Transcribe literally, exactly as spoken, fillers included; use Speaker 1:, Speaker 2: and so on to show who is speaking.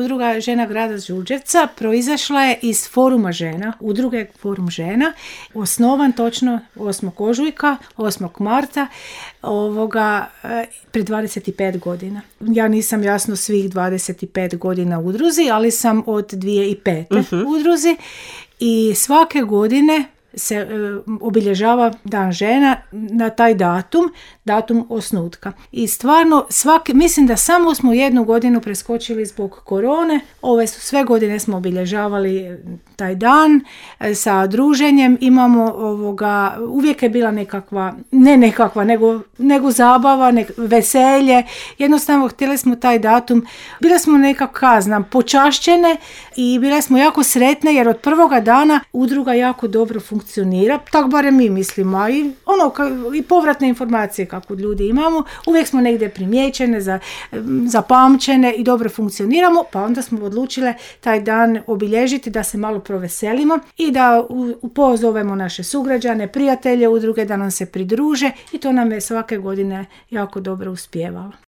Speaker 1: udruga žena grada Đurđevca proizašla je iz foruma žena, udruge Forum žena, osnovan točno osmog ožujka, osmog marta, ovoga, pred dvadeset pet godina. Ja nisam jasno svih dvadeset pet godina u udruzi, ali sam od dvije tisuće pete uh-huh. u udruzi i svake godine se e, obilježava Dan žena na taj datum, datum osnutka. I stvarno, svake, mislim da samo smo jednu godinu preskočili zbog korone, ove su sve godine smo obilježavali taj dan e, sa druženjem, imamo ovoga, uvijek je bila nekakva, ne nekakva, nego, nego zabava, nek, veselje, jednostavno htjeli smo taj datum, bile smo nekako, znam, počašćene i bile smo jako sretne jer od prvoga dana udruga jako dobro funkcionira, tako barem mi mislimo, a i, ono, i povratne informacije kako ljudi imamo, uvijek smo negdje primijećene, za, zapamćene i dobro funkcioniramo, pa onda smo odlučile taj dan obilježiti da se malo proveselimo i da upozovemo naše sugrađane, prijatelje udruge da nam se pridruže i to nam je svake godine jako dobro uspijevalo.